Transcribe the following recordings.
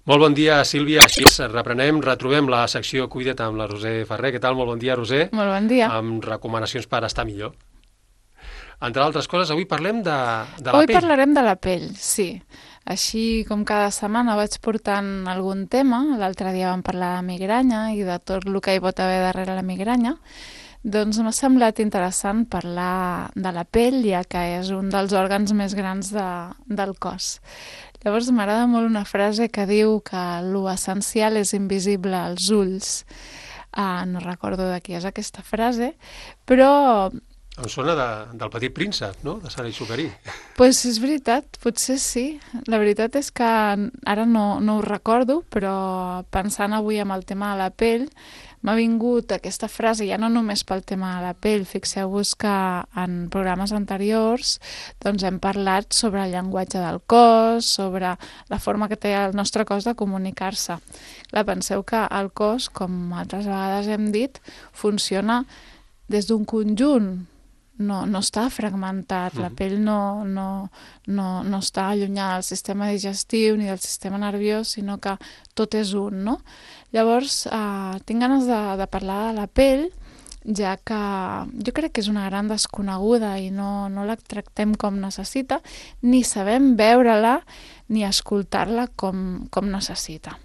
Molt bon dia, Sílvia. Així retrobem la secció Cuida't amb la Roser Ferrer. Què tal? Molt bon dia, Roser. Molt bon dia. Amb recomanacions per estar millor. Entre altres coses, avui parlem de la pell. Avui parlarem de la pell, sí. Així com cada setmana vaig portant algun tema. L'altre dia vam parlar de migranya i de tot el que hi pot haver darrere la migranya. Doncs m'ha semblat interessant parlar de la pell, ja que és un dels òrgans més grans del cos. Llavors m'agrada molt una frase que diu que l'essencial és invisible als ulls. No recordo de qui és aquesta frase, però... Em sona del Petit Príncep, no? De Saint-Exupéry. Pues és veritat, potser sí. La veritat és que ara no ho recordo, però pensant avui en el tema de la pell, m'ha vingut aquesta frase, ja no només pel tema de la pell. Fixeu-vos que en programes anteriors doncs hem parlat sobre el llenguatge del cos, sobre la forma que té el nostre cos de comunicar-se. Clar, penseu que el cos, com altres vegades hem dit, funciona des d'un conjunt. No està fragmentat, la pell no està allunyada del sistema digestiu ni del sistema nerviós, sinó que tot és un, no? Llavors, tinc ganes de parlar de la pell, ja que jo crec que és una gran desconeguda i no la tractem com necessita, ni sabem veure-la ni escoltar-la com necessita.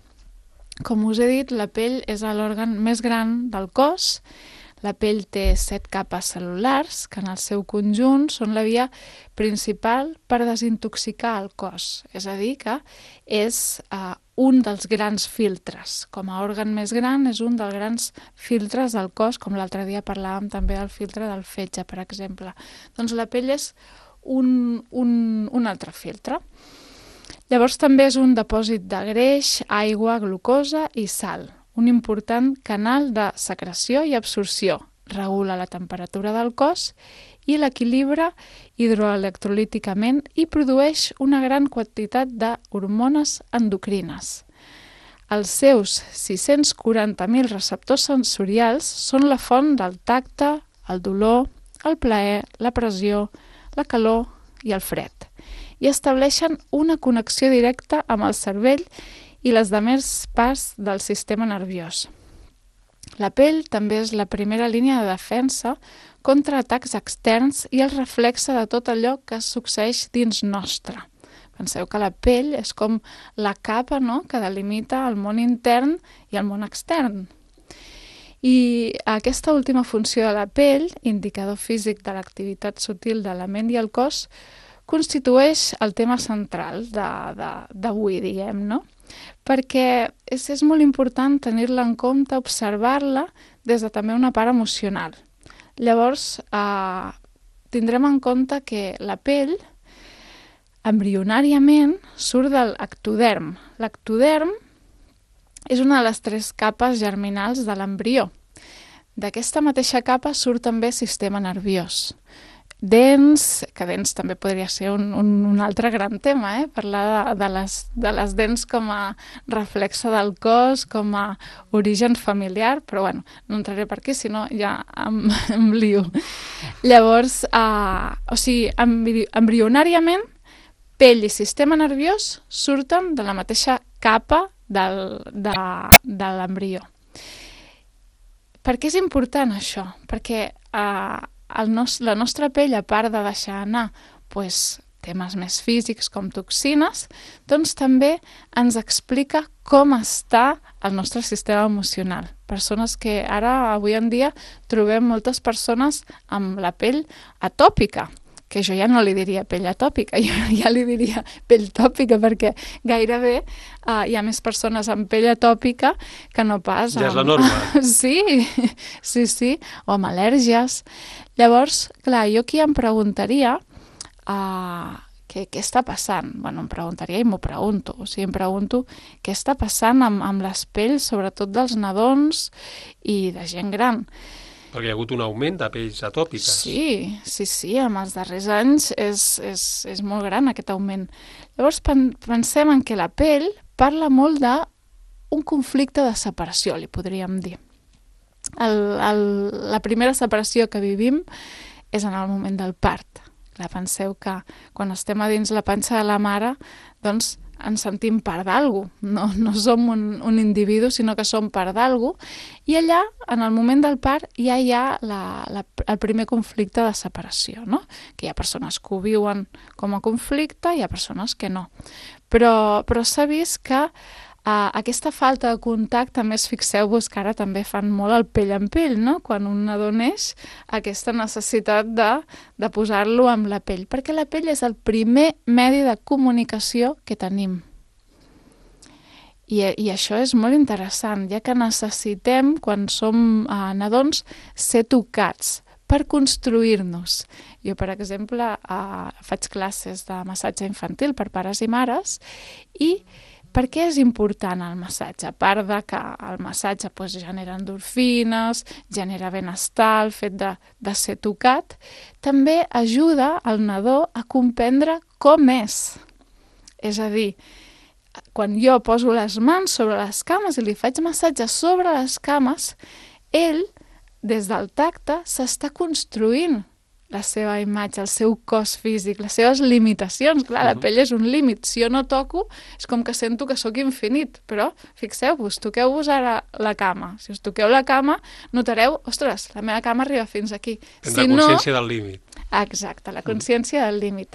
Com us he dit, la pell és l'òrgan més gran del cos. La pell té 7 capes cel·lulars, que en el seu conjunt són la via principal per desintoxicar el cos. És a dir, que és un dels grans filtres. Com a òrgan més gran, és un dels grans filtres del cos, com l'altre dia parlàvem també del filtre del fetge, per exemple. Doncs la pell és un altre filtre. Llavors també és un depòsit de greix, aigua, glucosa i sal. Un important canal de secreció i absorció. Regula la temperatura del cos i l'equilibra hidroelectrolíticament i produeix una gran quantitat d'hormones endocrines. Els seus 640.000 receptors sensorials són la font del tacte, el dolor, el plaer, la pressió, la calor i el fred. I estableixen una connexió directa amb el cervell i les demés parts del sistema nerviós. La pell també és la primera línia de defensa contra atacs externs i el reflexe de tot allò que succeeix dins nostre. Penseu que la pell és com la capa, no?, que delimita el món intern i el món extern. I aquesta última funció de la pell, indicador físic de l'activitat sutil de la ment i el cos, constitueix el tema central d'avui, diguem, no? Perquè és molt important tenir-la en compte, observar-la des de també una part emocional. Llavors, tindrem en compte que la pell, embrionàriament, surt de l'ectoderm. L'ectoderm és una de les 3 capes germinals de l'embrió. D'aquesta mateixa capa surt també el sistema nerviós. Dents, que dents també podria ser un altre gran tema, parlar de les dents com a reflexe del cos, com a origen familiar, però bueno, no entraré per aquí, sinó ja em lio. Llavors, embrionàriament, pell i sistema nerviós surten de la mateixa capa de l'embrió. Per què és important això? Perquè la nostra pell, a part de deixar anar temes més físics com toxines, doncs també ens explica com està el nostre sistema emocional. Persones que ara, avui en dia, trobem moltes persones amb la pell atòpica, que jo ja no li diria pell atòpica, jo ja li diria pell tòpica, perquè gairebé hi ha més persones amb pell atòpica que no pas ja és la norma. Sí, o amb al·lèrgies. Llavors, clar, jo aquí em preguntaria què està passant? Bueno, em preguntaria i m'ho pregunto. O sigui, em pregunto què està passant amb les pells, sobretot dels nadons i de gent gran. Perquè hi ha hagut un augment de pells atòpiques. Sí, en els darrers anys és molt gran aquest augment. Llavors pensem en que la pell parla molt d'un conflicte de separació, li podríem dir. La primera separació que vivim és en el moment del part. Clar, penseu que quan estem a dins la panxa de la mare, doncs ens sentim part d'algú, no som un individu, sinó que som part d'algú, i allà, en el moment del part, ja hi ha el primer conflicte de separació, no? Que hi ha persones que ho viuen com a conflicte i hi ha persones que no. Però s'ha vist que aquesta falta de contacte, a més fixeu-vos que ara també fan molt el pell en pell, no? Quan un nadó neix, aquesta necessitat de posar-lo amb la pell, perquè la pell és el primer medi de comunicació que tenim. I això és molt interessant, ja que necessitem, quan som nadons, ser tocats per construir-nos. Jo, per exemple, faig classes de massatge infantil per pares i mares i per què és important el massatge? A part de que el massatge genera endorfines, genera benestar, el fet de ser tocat, també ajuda el nadó a comprendre com és. És a dir, quan jo poso les mans sobre les cames i li faig massatge sobre les cames, ell, des del tacte, s'està construint la seva imatge, el seu cos físic, les seves limitacions. Clar, la pell és un límit. Si jo no toco, és com que sento que sóc infinit. Però, fixeu-vos, toqueu-vos ara la cama. Si us toqueu la cama, notareu, ostres, la meva cama arriba fins aquí. Tindrà consciència del límit. Exacte, la consciència del límit.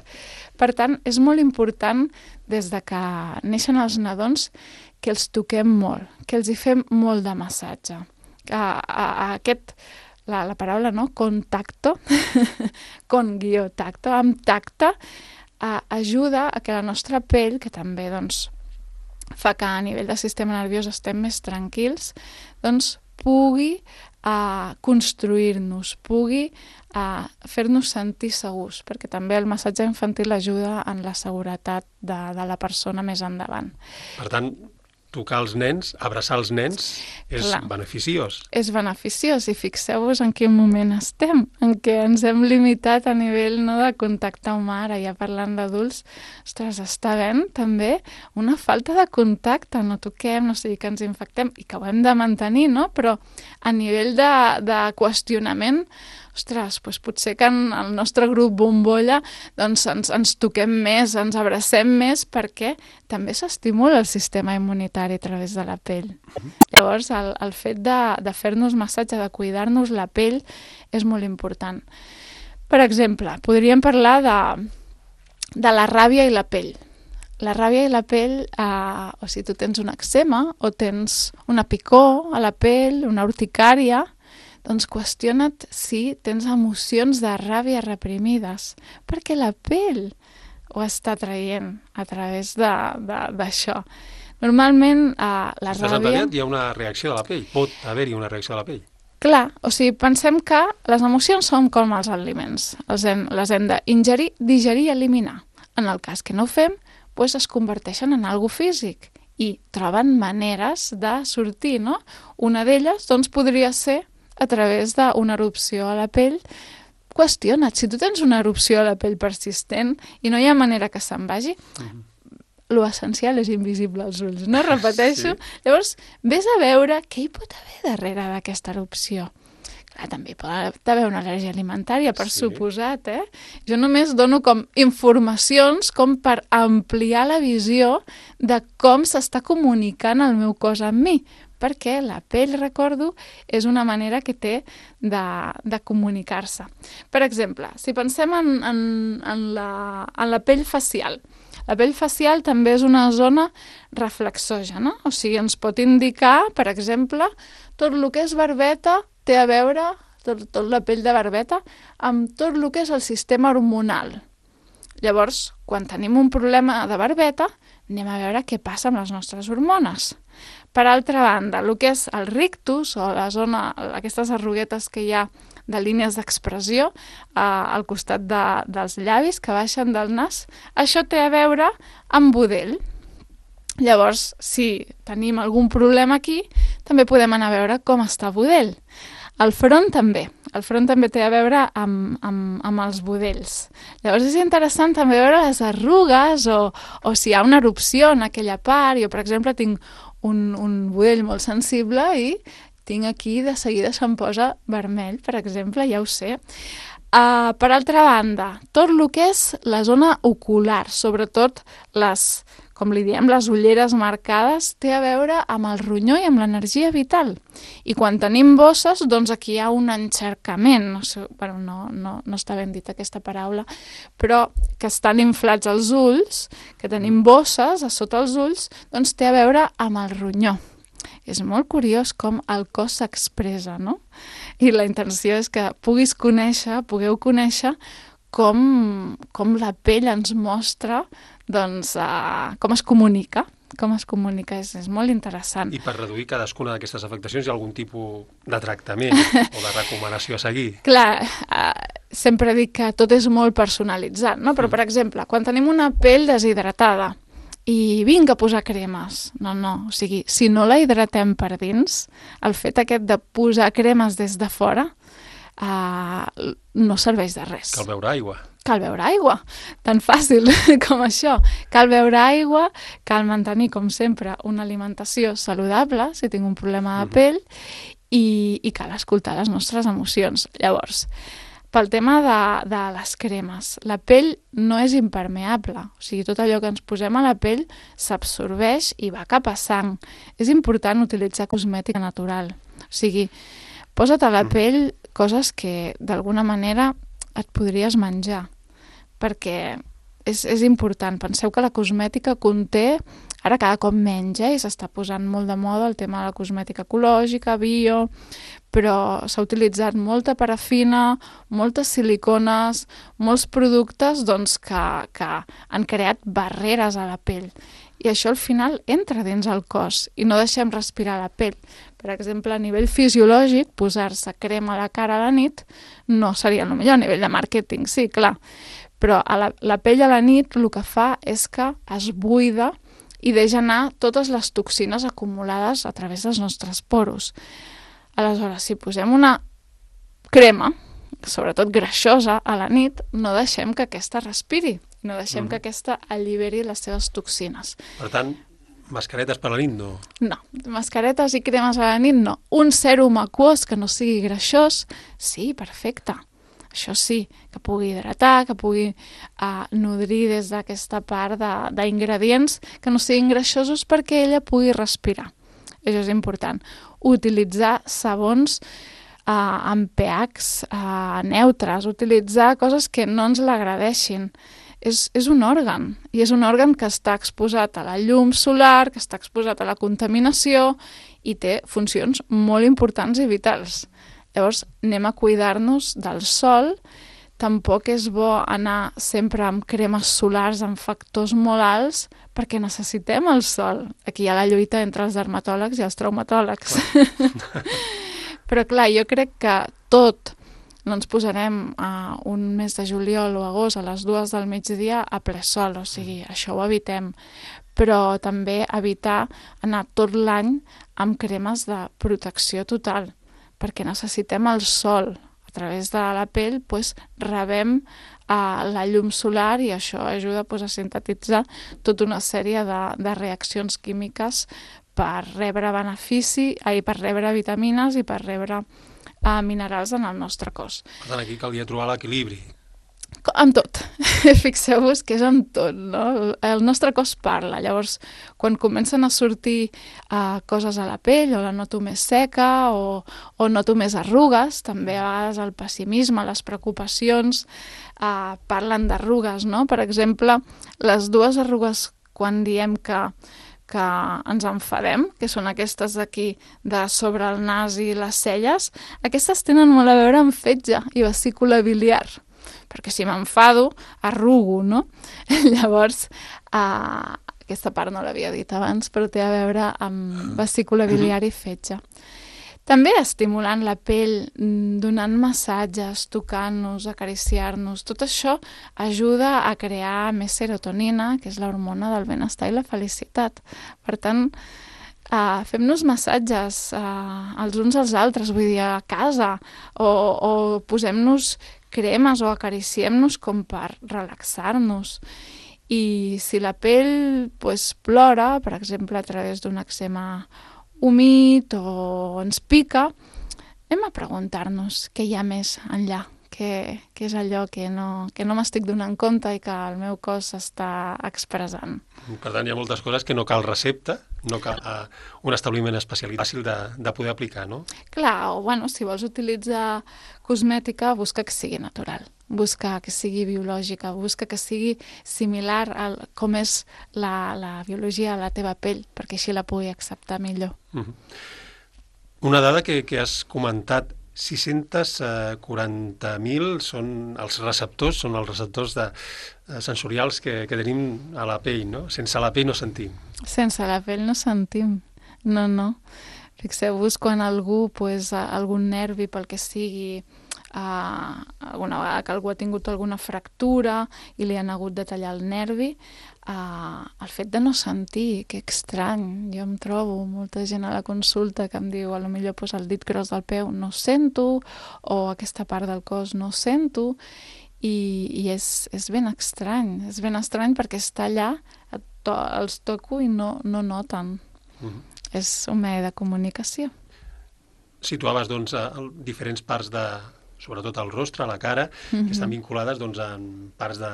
Per tant, és molt important, des de que neixen els nadons, que els toquem molt, que els hi fem molt de massatge. La paraula, no? Contacto, con-tacto, amb tacte, ajuda a que la nostra pell, que també fa que a nivell del sistema nerviós estem més tranquils, pugui construir-nos, pugui fer-nos sentir segurs, perquè també el massatge infantil ajuda en la seguretat de la persona més endavant. Per tant, tocar els nens, abraçar els nens, és beneficiós. És beneficiós, i fixeu-vos en quin moment estem, en què ens hem limitat a nivell de contacte humà. Ara ja parlant d'adults, ostres, està havent també una falta de contacte, no toquem, no sigui que ens infectem, i que ho hem de mantenir, no? Però a nivell de qüestionament, ostres, potser que en el nostre grup bombolla ens toquem més, ens abracem més, perquè també s'estimula el sistema immunitari a través de la pell. Llavors, el fet de fer-nos massatge, de cuidar-nos la pell, és molt important. Per exemple, podríem parlar de la ràbia i la pell. La ràbia i la pell, o si tu tens un eczema o tens una picor a la pell, una urticària, doncs qüestiona't si tens emocions de ràbia reprimides, perquè la pell ho està traient a través d'això. Normalment, la ràbia... Hi ha una reacció de la pell, pot haver-hi una reacció de la pell. Clar, o sigui, pensem que les emocions són com els aliments, les hem d'ingerir, digerir i eliminar. En el cas que no ho fem, es converteixen en algo físic i troben maneres de sortir, no? Una d'elles, podria ser a través d'una erupció a la pell. Qüestiona't, si tu tens una erupció a la pell persistent i no hi ha manera que se'n vagi, lo essencial és invisible als ulls, no? Repeteixo. Sí. Llavors, vés a veure què hi pot haver darrere d'aquesta erupció. Clar, també pot haver una al·lèrgia alimentària, per suposat, Jo només dono com informacions com per ampliar la visió de com s'està comunicant el meu cos amb mi, perquè la pell, recordo, és una manera que té de comunicar-se. Per exemple, si pensem en la pell facial, la pell facial també és una zona reflexògena, o sigui, ens pot indicar, per exemple, tot el que és barbeta té a veure, tot la pell de barbeta, amb tot el que és el sistema hormonal. Llavors, quan tenim un problema de barbeta, anem a veure què passa amb les nostres hormones. Per altra banda, el que és el rictus, o la zona, aquestes arruguetes que hi ha de línies d'expressió al costat dels llavis que baixen del nas, això té a veure amb budell. Llavors, si tenim algun problema aquí, també podem anar a veure com està budell. El front també té a veure amb els budells. Llavors és interessant també veure les arrugues o si hi ha una erupció en aquella part. Jo, per exemple, tinc un budell molt sensible i tinc aquí, de seguida se'm posa vermell, per exemple, ja ho sé. Per altra banda, tot el que és la zona ocular, sobretot les com li diem, les ulleres marcades, té a veure amb el ronyó i amb l'energia vital. I quan tenim bosses, doncs aquí hi ha un encercament, no sé, bueno, no està ben dit aquesta paraula, però que estan inflats els ulls, que tenim bosses a sota els ulls, doncs té a veure amb el ronyó. És molt curiós com el cos s'expressa, no? I la intenció és que pugueu conèixer com la pell ens mostra doncs, com es comunica. És molt interessant. I per reduir cadascuna d'aquestes afectacions hi ha algun tipus de tractament o de recomanació a seguir? Clar, sempre dic que tot és molt personalitzat, no? Però, per exemple, quan tenim una pell deshidratada i vinga a posar cremes, no, o sigui, si no la hidratem per dins, el fet aquest de posar cremes des de fora no serveix de res. Cal beure aigua. Cal beure aigua, tan fàcil com això. Cal beure aigua, cal mantenir, com sempre, una alimentació saludable, si tinc un problema de pell, i cal escoltar les nostres emocions. Llavors, pel tema de les cremes, la pell no és impermeable, o sigui, tot allò que ens posem a la pell s'absorbeix i va cap a sang. És important utilitzar cosmètica natural, o sigui, posa't a la pell coses que d'alguna manera et podries menjar, perquè és important. Penseu que la cosmètica conté, ara cada cop menys, i s'està posant molt de moda el tema de la cosmètica ecològica, bio, però s'ha utilitzat molta parafina, moltes silicones, molts productes doncs, que han creat barreres a la pell. I això al final entra dins el cos i no deixem respirar la pell. Per exemple, a nivell fisiològic, posar-se crema a la cara a la nit no seria el millor. A nivell de màrqueting, sí, clar. Però la pell a la nit el que fa és que es buida i deixa anar totes les toxines acumulades a través dels nostres poros. Aleshores, si posem una crema, sobretot greixosa, a la nit, no deixem que aquesta respiri. No deixem que aquesta alliberi les seves toxines. Per tant, mascaretes per la nit no? No, mascaretes i cremes a la nit no. Un sèrum aquós que no sigui greixós, sí, perfecte. Això sí, que pugui hidratar, que pugui nodrir des d'aquesta part d'ingredients que no siguin greixosos perquè ella pugui respirar. Això és important. Utilitzar sabons amb pHs neutres, utilitzar coses que no ens l'agradeixin. És un òrgan, i és un òrgan que està exposat a la llum solar, que està exposat a la contaminació i té funcions molt importants i vitals. Llavors, anem a cuidar-nos del sol. Tampoc és bo anar sempre amb cremes solars amb factors molt alts perquè necessitem el sol. Aquí hi ha la lluita entre els dermatòlegs i els traumatòlegs. Però clar, jo crec que tot no ens posarem un mes de juliol o agost a les 2 del migdia a ple sol, o sigui, això ho evitem. Però també evitar anar tot l'any amb cremes de protecció total, perquè necessitem el sol. A través de la pell rebem la llum solar i això ajuda a sintetitzar tota una sèrie de reaccions químiques per rebre per rebre vitamines i per rebre minerals en el nostre cos. Per tant, aquí calia trobar l'equilibri. Amb tot. Fixeu-vos que és amb tot, no? El nostre cos parla. Llavors, quan comencen a sortir coses a la pell, o la noto més seca, o noto més arrugues, també a vegades el pessimisme, les preocupacions, parlen d'arrugues, no? Per exemple, les dues arrugues quan diem que ens enfadem, que són aquestes d'aquí, de sobre el nas i les celles, aquestes tenen molt a veure amb fetge i vesícula biliar, perquè si m'enfado, arrugo, no? Llavors, aquesta part no l'havia dit abans, però té a veure amb vesícula biliar i fetge. També estimulant la pell, donant massatges, tocant-nos, acariciar-nos, tot això ajuda a crear més serotonina, que és l'hormona del benestar i la felicitat. Per tant, fem-nos massatges els uns als altres, vull dir, a casa, o posem-nos cremes o acariciem-nos com per relaxar-nos. I si la pell plora, per exemple, a través d'un eczema humit o ens pica, anem a preguntar-nos què hi ha més enllà, què és allò que no m'estic donant compte i que el meu cos està expressant. Per tant, hi ha moltes coses que no cal recepta, no cal un establiment especialitzat fàcil de poder aplicar, no? Clar, o bueno, si vols utilitzar cosmètica, busca que sigui natural, busca que sigui biològica, busca que sigui similar a com és la biologia de la teva pell, perquè així la pugui acceptar millor. Una dada que has comentat, 640.000 són els receptors sensorials que tenim a la pell, no? Sense la pell no sentim. Sense la pell no sentim, no. Fixeu-vos quan algú, algun nervi pel que sigui, alguna vegada que algú ha tingut alguna fractura i li han hagut de tallar el nervi, el fet de no sentir, que estrany, jo em trobo molta gent a la consulta que em diu potser el dit gros del peu no sento, o aquesta part del cos no sento, i és ben estrany perquè està allà, els toco i no noten. És un medi de comunicació. Situaves, doncs, diferents parts sobretot el rostre, la cara, que estan vinculades amb parts de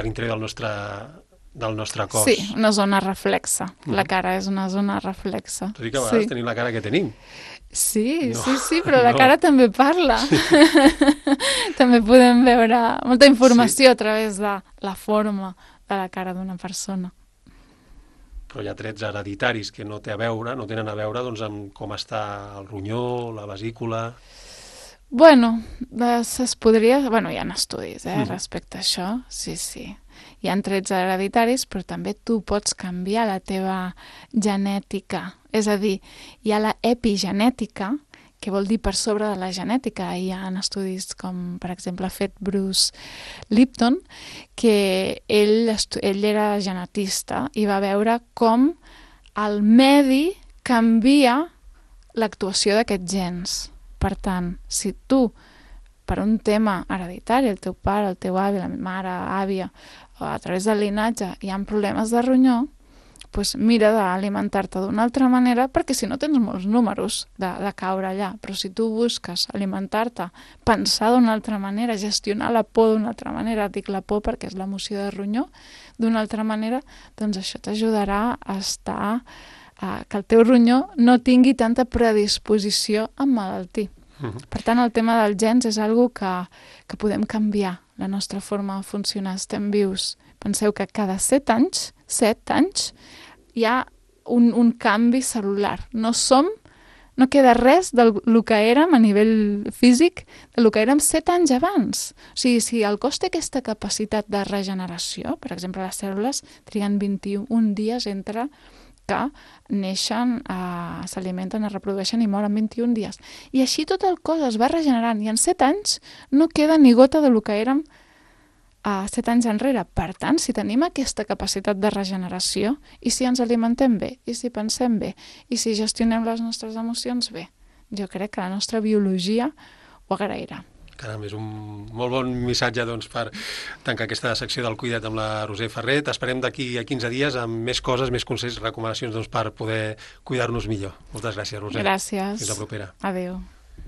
l'interior del nostre cos. Sí, una zona reflexa. La cara és una zona reflexa. Tot i que a vegades tenim la cara que tenim. Sí, però la cara també parla. També podem veure molta informació a través de la forma de la cara d'una persona. Però hi ha trets hereditaris que no tenen a veure amb com està el ronyó, la vesícula... Bueno, es podria... hi ha estudis respecte a això, sí. Hi ha trets hereditaris, però també tu pots canviar la teva genètica. És a dir, hi ha la epigenètica, que vol dir per sobre de la genètica. Hi ha estudis com, per exemple, ha fet Bruce Lipton, que ell era genetista i va veure com el medi canvia l'actuació d'aquests gens. Per tant, si tu, per un tema hereditari, el teu pare, el teu avi, la mare, àvia, o a través del linatge, hi ha problemes de ronyó, doncs mira d'alimentar-te d'una altra manera, perquè si no tens molts números de caure allà. Però si tu busques alimentar-te, pensar d'una altra manera, gestionar la por d'una altra manera, dic la por perquè és l'emoció de ronyó, d'una altra manera, doncs això t'ajudarà a estar... que el teu ronyó no tingui tanta predisposició a emmalaltir. Per tant, el tema dels gens és algo que podem canviar, la nostra forma de funcionar. Estem vius. Penseu que cada 7 anys, hi ha un canvi cel·lular. No queda res del que érem a nivell físic, del que érem 7 anys abans. O sigui, si el cos té aquesta capacitat de regeneració, per exemple, les cèl·lules triguen 21 dies entre que neixen, s'alimenten, es reprodueixen i moren 21 dies. I així tot el cos es va regenerant i en 7 anys no queda ni gota del que érem 7 anys enrere. Per tant, si tenim aquesta capacitat de regeneració i si ens alimentem bé, i si pensem bé, i si gestionem les nostres emocions bé, jo crec que la nostra biologia ho agrairà. Caram, és un molt bon missatge per tancar aquesta secció del Cuida't amb la Roser Ferrer. T'esperem d'aquí a 15 dies amb més coses, més consells, recomanacions per poder cuidar-nos millor. Moltes gràcies, Roser. Gràcies. Fins la propera. Adéu.